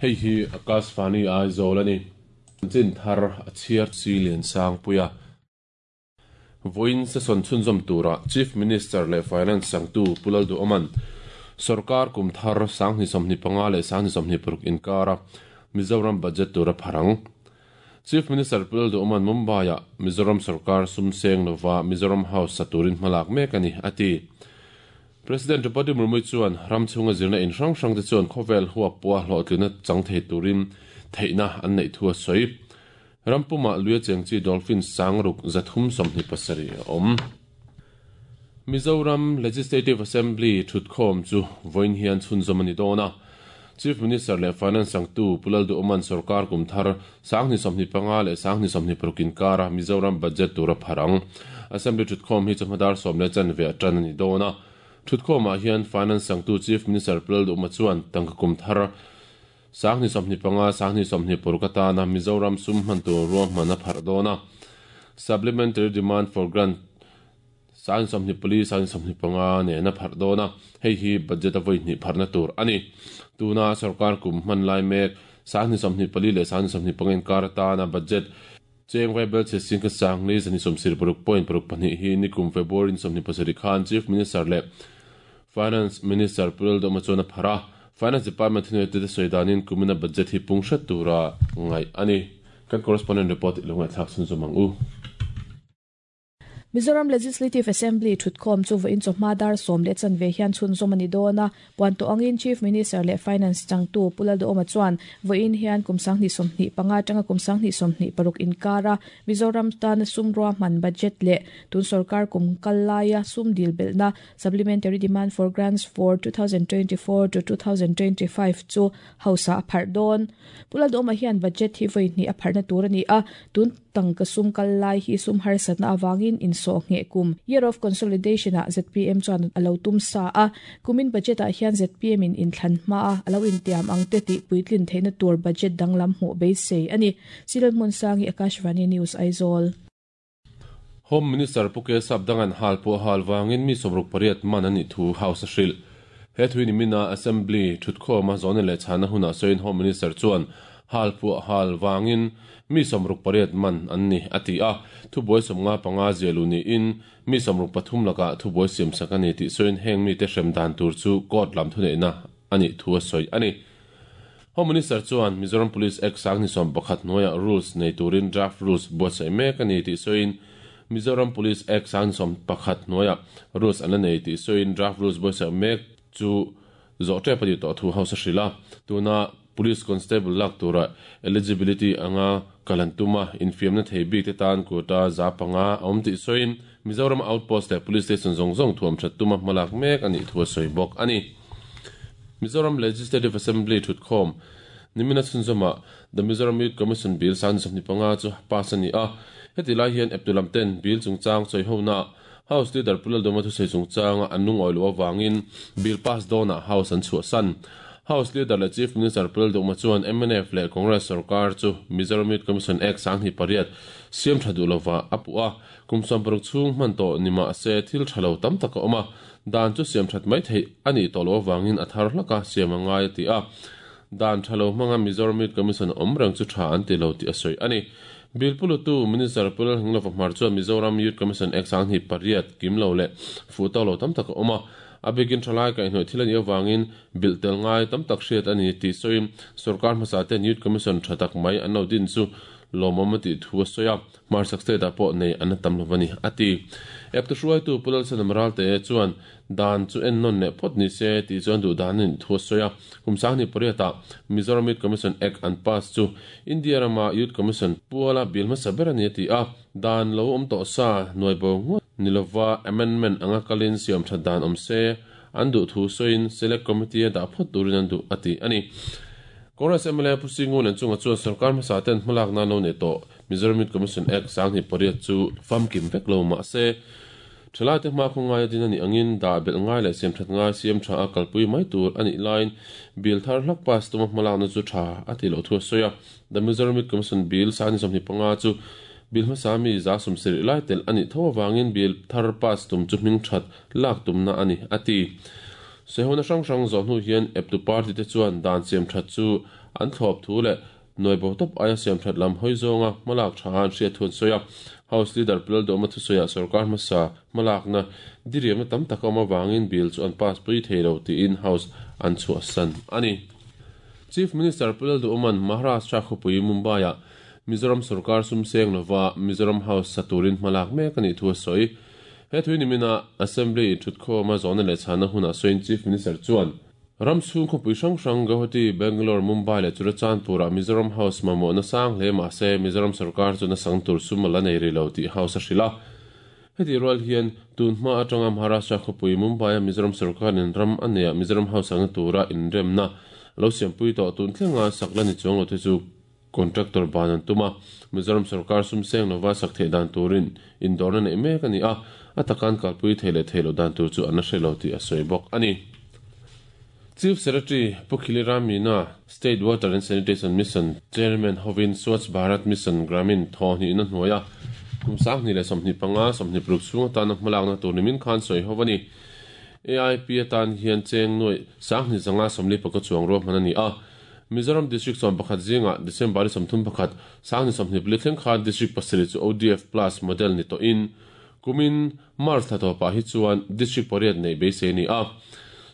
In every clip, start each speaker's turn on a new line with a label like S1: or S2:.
S1: Hei hi Akashvani Aizawl a ni. Chanchin thar a chhiar chi Liansangpuia. Vawiin session chhunzawm tura Chief Minister leh Finance changtu Pu Lalduhawma'n sorkar kum thar 2025 leh 2026 inkara Mizoram budget tur a phar ang. Chief Minister Pu Lalduhawma'n Mumbai-ah Mizoram sorkar sum seng lova Mizoram House sa turin hmalak mek a ni, a ti. President Draupadi Murmu chuan ram chhunga zirna in hrang hrangte chuan khawvel huap pawha hlawhtlinna chang thei turin theihna an neih thu a sawi. Ram pumah luia cheng chi dolphin sangruk 327 a awm. Mizoram Legislative Assembly thutkhawm chu vawiin hian chhunzawm a ni dawn a. Chief Minister leh Finance changtu Pu Lalduhawma'n sorkar kum thar 2025 leh 2026 inkara Mizoram budget tur a phar ang. Assembly thutkhawm hi chawhma dar 10:15 a tan a ni dawn a. Thutkhawmah hian Finance changtu Chief Minister Pu Lalduhawma chuan tangka kum thar 2025, 2026 atana Mizoram sum hman tur ruahman a pharh dawn a. Supplementary Demand for Grant 2024, 2025 nen a pharh dawn a, hei hi budget a vawi hnih pharhna tur a ni. Tuna sorkar kum hman lai mek 2024 leh 2025 inkar atana budget cheng vaibel chhe sing ka sang ni 160.62 hi nikum February 27 khan Chief Minister leh Finance Minister Pu Lalduhawma chuan a pharh a, Finance Department thuneitute sawi danin kumina budget hi pung hret tura ngaih a ni. Kan correspondent report i lo ngaihthlak chhunzawm ang u.
S2: Mizoram Legislative Assembly thutkhawm chu vawiin chawhma dar 10:15 hian chhunzawm a ni dawn a, puan tawh angin Chief Minister leh Finance changtu Pu Lalduhawma chuan vawiin hian kum 2025 atanga kum 2026 inkara Mizoram tana sum ruahman budget leh tun sorkar kum kal laia sum dil belhna Supplementary Demand for Grants for 2024 to 2025 chu House-ah a pharh dawn. Pu Lalduhawma hian budget hi vawi hnih a pharhna tur a ni a, tun tangka sum kal lai hi sum harsatna avangin insawh ngheh kum, Year of Consolidation-ah zpm chuan a lo tum sa a. Kumin budget-ah hian zpm in inthlan hmaa a lo intiam ang te tih puitlin theihna tur budget danglam hmuh beisei a ni. Silal Hmunsangi, Akashvani News, Aizawl.
S1: Home Minister Pu Kesap Dangan hal pawh hal vangin mi 68 man an nih thu House a hrilh. He thui nimina Assembly thutkhawma zawhna leh chhana hunah sawiin Home Minister chuan hal pawh hal vangin mi 68 man an ni a ti a, thubuai 55 ziahluh niin mi 63 lakah thubuai siamsak a ni tih sawiin heng mite hrem dan tur chu court lam thuneihna a nih thu a sawi a ni. Home Minister chuan Mizoram Police Act 2011 hnuaiah rules nei turin draft rules buatsaih mek a ni tih sawiin Mizoram Police Act 2011 hnuaiah rules an la nei tih sawiin draft rules buatsaih mek chu zawh tep a nih tawh thu House a hrilh a. Tuna Police Constable lak tura eligibility anga kal an tum a, infiamna thei bik te tan quota 500 a awm tih sawiin Mizoram Outpost leh Police Station zawng zawng thuam that tuma hmalak mek a nih thu a sawi bawk a ni. Mizoram Legislative Assembly thutkhawm nimina chhunzawmah The Mizoram Youth Commission Bill 2025 chu pass a ni a. Heti lai hian eptu lam ten bill chungchang sawihonaah House Leader Pu Lalduhma thusawi chungchanga an lungawi loh avangin bill pass dawnah House an chhuahsan. House Leader leh Chief Minister Pu Lalduhma chuan mnf leh Congress sorkar chu Mizoram Youth Commission Act 2008 siam tha duh lovah a puh a. Kum 60 chhung hman tawh ni mah se thil tha lo tam tak a awm a, dan chu siam that mai theih a nih tawh loh avangin a thar hlak a siam a ngai a ti a. Dan tha lo hmanga Mizoram Youth Commission awm reng chu tha an ti lo tih a sawi a ni. Bill Pulutu Minister Pu Lalhinglo Fahmar chuan Mizoram Youth Commission Act 2008 kim lo leh fuh tawk lo tam tak a awm a, a bikin thalai kaihhnawih thil a nih avangin bilh tel ngai tam tak hriat a ni tih sawiin sorkar hmasa ten Youth Commission tha tak mai an lo din chu lawmawm a tih thu a sawi a. Hmarchhak state ah pawh nei an la tam lo a ni, a ti. Eptu hruaitu Pu Lalsanam Ralte chuan dan chu en nawn leh phawt ni se tih chuan duh dan a nih thu a sawi a. Kum 2008 ah Mizoram Youth Commission Act an pass chu India rama Youth Commission puala bill hmasa ber a ni a ti a. Dan lo awm tawh sa nuai bo ngawt ni lova amendment anga kalin siam that dan awm se an duh thu sawiin Select Committee a dah phawt turin an duh a ti a ni. Congress mla Pu Singu Lenchunga chuan sorkar hmasa ten hmalak nan lo nei tawh Mizoram Youth Commission Act 2008 chu famkim vek lo mah se, thalaite hma khaw ngaia din a nih angin dah belh ngai leh siam that ngai siam tha a kalpui mai tur a nih laiin bill thar hlak pass tuma hmalakna chu tha a tih loh thu a sawi a. The Mizoram Youth Commission Bill 2025 chu Bill hmasa mi 70% lai telh a nih tho avangin bill thar pass tum chu hming that lak tumna a ni, a ti. Sawihona hrang hrang zawh hnu hian eptu party te chuan dan siam that chu an thlawp thu leh nuai bo tawp aia siam that lam hawi zawnga hmalak tha an hriat thu an sawi a. House Leader Pu Lalduhawma thusawiah sorkar hmasa hmalakna diriamna tam tak a awm avangin bill chu an pass pui thei lo tiin House an chhuahsan a ni. Chief Minister Pu Lalduhawma'n Maharashtra khawpui Mumbai-ah Mizoram sorkar sum seng lova Mizoram House sa turin hmalak mek a nih thu a sawi. He thui nimina Assembly thutkhawma zawhna leh chhanna hunah sawiin Chief Minister chuan, Ram chhung khawpui hrang hrang Guwahati, Bangalore, Mumbai leh Churachandpur-ah Mizoram House mamawhna sang hle mah se Mizoram sorkar chu nasang tur sum a la nei rih lo tih House a hrilh a. Heti rual hian tun hma atanga Maharashtra khawpui Mumbai-a Mizoram sorkarin ram a neiah Mizoram House angna tura inremna lo siampui tawh tun thlenga sak la ni chuang lo te chu Contractor ban an tum a, Mizoram sorkar sum seng lova sak theih dan turin indawrna neih mek a ni a, a takan kalpui thei leh thei loh dan tur chu an la hre lo tih a sawi bawk a ni. Chief Secretary Pu Khili Ram Meena, State Water and Sanitation Mission Chairman hovin Swachh Bharat Mission Gramin thawhhnihna hnuaia kum 2025, 26 chhung atana hmalakna tur nimin khan sawi ho a ni. AIP atan hian cheng nuaih 2540 chuang ruahman a ni a. Mizoram District 11 zingah December 31, 2024 thleng khan District pasarih chu ODF Plus model ni tawhin kumin March thla tawpah hi chuan District pariat neih beisei a ni a.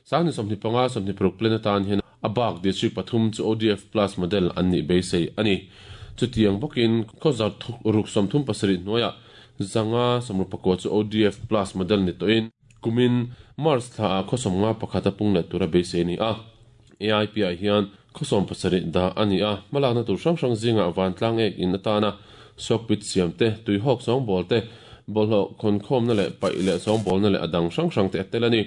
S1: 2025, 26 plan atan hian a bak District pathum chu ODF Plus model an nih beisei a ni. Chutiang bawkin khawzar ruk 37 hnuaiah 564 chu ODF Plus model ni tawhin kumin March thlaah khaw 51 a pung leh tura beisei a ni a. AIP-ah hian khaw 70 dah a ni a, hmalakna tur hrang hrang zingah vantlang ek in atana sock pit siam te, tuihawk sawngbawl te, bawlhhlawh khawnkhawmna leh paih leh sawngbawlna leh a dang hrang hrang te a tel a ni.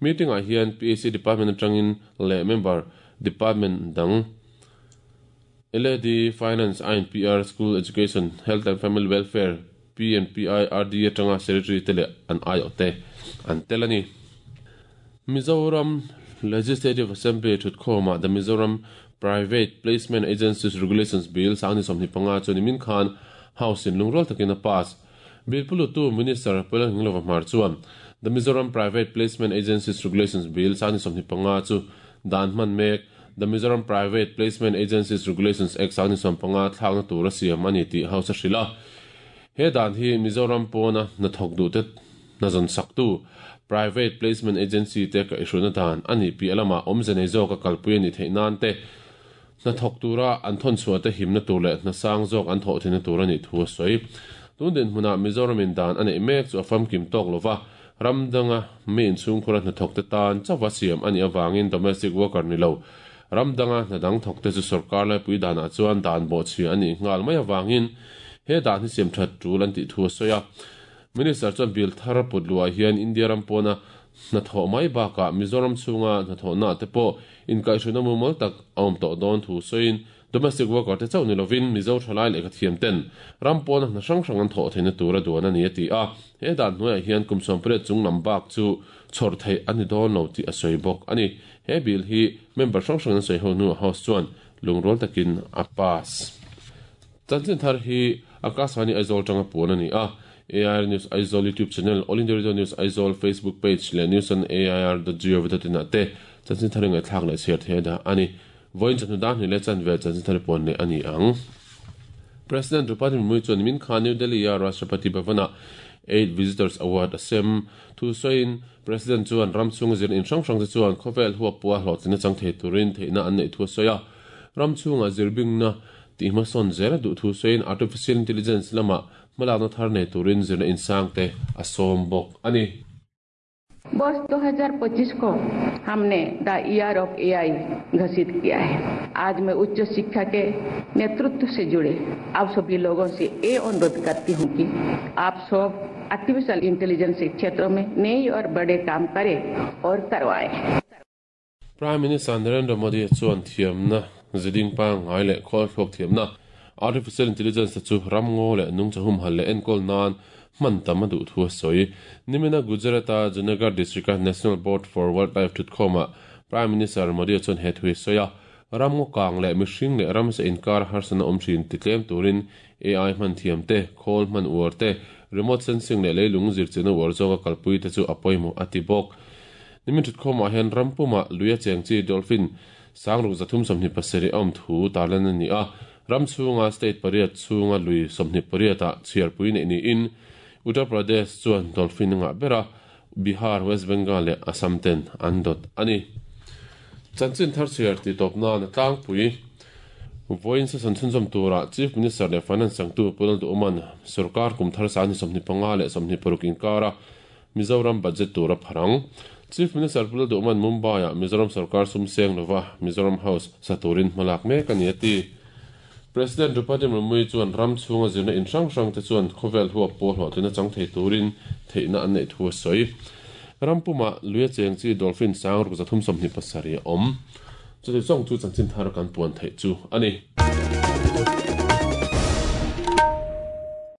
S1: Meeting-ah hian PAC Department atangin leh member department dang LAD, Finance, INPR, School Education, Health and Family Welfare, PNPI, RD atanga Secretary te leh an aiawh te an tel a ni. Mizoram Legislative Assembly thutkhawmah The Mizoram Private Placement Agencies Regulations Bill 2025 chu nimin khan House in lungrual takin a pass. Bill pulutu Minister Pawleng Hinglova Hmar chuan The Mizoram Private Placement Agencies Regulations Bill 2025 chu dan hman mek The Mizoram Private Placement Agencies Regulations Act 2015 thlakna tur a siam a ni tih House a hrilh a. He dan hi Mizoram pawna hnathawk duhte hna zawn saktu Private Placement Agency te kaihhruaina dan a nih piah lamah awmze nei zawka kalpui a nih theih nan te, hnathawk tura an thawnchhuah te himna tur leh hna sang zawk an thawh theihna tur a nih thu a sawi. Tun dinhmunah Mizoramin dan a neih mek chu a famkim tawk lova, ram danga mi inchhungkhura hnathawk te tan chauha siam a nih avangin domestic worker ni lo ram danga hna dang thawk te chu sorkar laipui danah chuan dan bawhchhia a nih nghal mai avangin he dan hi siam that tul an tih thu a sawi a. Minister chuan bill thar put luah hian India ram pawna hnathawh mai bakah Mizoram chhunga hnathawhnaah te pawh inkaihhruaina mumal tak a awm tawh dawn thu sawiin domestic worker te chauh ni lovin Mizo thalai lehkha thiam ten ram pawna hna hrang hrang an thawh theihna tur a duan a ni a ti a. He dan hnuaiah hian kum 18 chung lam bak chu chhawr theih a ni dawn lo tih a sawi bawk a ni. He bill hi member hrang hrangin an sawi ho hnuah House chuan lungrual takin a pass. Chanchin thar hi Akashvani Aizawl tanga puan a ni a. AIR News Aizawl YouTube channel, All India Radio News Aizawl Facebook page leh news on air dot gov dot in ah te chanchin thar i ngaihthlak leh chhiar thei a dah a ni. Vawiin chawhnu dar hnih leh chanve chanchin thar i puan leh a ni ang. President Draupadi Murmu chuan nimin khan New Delhi-a Rashtrapati Bhavan-ah Eight Visitors Award a sem. Thu sawiin President chuan ram chhunga zir in hrang hrang te chuan khawvel huap pawha hlawhtlinna chang thei turin theihna an neih thu a sawi a. Ram chhunga zirbingna tih hmasawn zel a duh thu sawiin Artificial Intelligence lamah hmalakna thar nei turin zirna insang te a sawm bawk a ni.
S3: वर्ष 2025 को हमने the year of AI घोषित किया है। आज मैं उच्च शिक्षा के नेतृत्व से जुड़े आप सभी लोगों से ये अनुरोध करती हूँ कि आप सब आर्टिफिशियल इंटेलिजेंस के क्षेत्र में नई और बड़े काम करें और करवाएं।
S1: Prime Minister Narendra Modi chuan thiamna ziding pangngai leh khawl thlawk thiamna Artificial Intelligence te chu ram ngaw leh nungcha humhal leh enkawl nan hman tam a duh thu a sawi. Nimina Gujarat-a Junagadh District-a National Board for Wildlife thutkhawmah Prime Minister Modi chuan he thu hi a sawi a. Ramngaw kang leh mihring leh ramsa inkar harsatna awm thin titlem turin AI hman thiam te, khawl hman uar te, remote sensing leh leilung zirchianna uar zawnga kalpui te chu a pawimawh a ti bawk. Nimin thutkhawmah hian ram pumah luia cheng chi dolphin sangruk 327 a awm thu tarlan a ni a, ram chhunga state pariat chhunga lui 28 ah chhiarpui neih niin Uttar Pradesh chuan dolphin a ngah ber a, Bihar, West Bengal leh Assam ten an dawt a ni. Chanchin thar chhiar tih tawp nan a tlangpui. Vawiin session chhunzawm turah Chief Minister leh Finance changtu Pu Lalduhawma'n sorkar kum thar sangni 25 leh 26 inkara Mizoram budget tur a phar ang. Chief Minister Pu Lalduhawma'n Mumbai-ah Mizoram sorkar sum seng lova Mizoram House sa turin hmalak mek a ni a ti. President Droupadi Murmu chuan ram chhunga zirna in hrang hrang te chuan khawvel huap pawh hlawhtlina chang thei turin theihna an neih thu a sawi. Ram pumah luia cheng chi dolphin 6327 a awm. Chuti zawng chu chanchin thar kan puan theih chu a ni.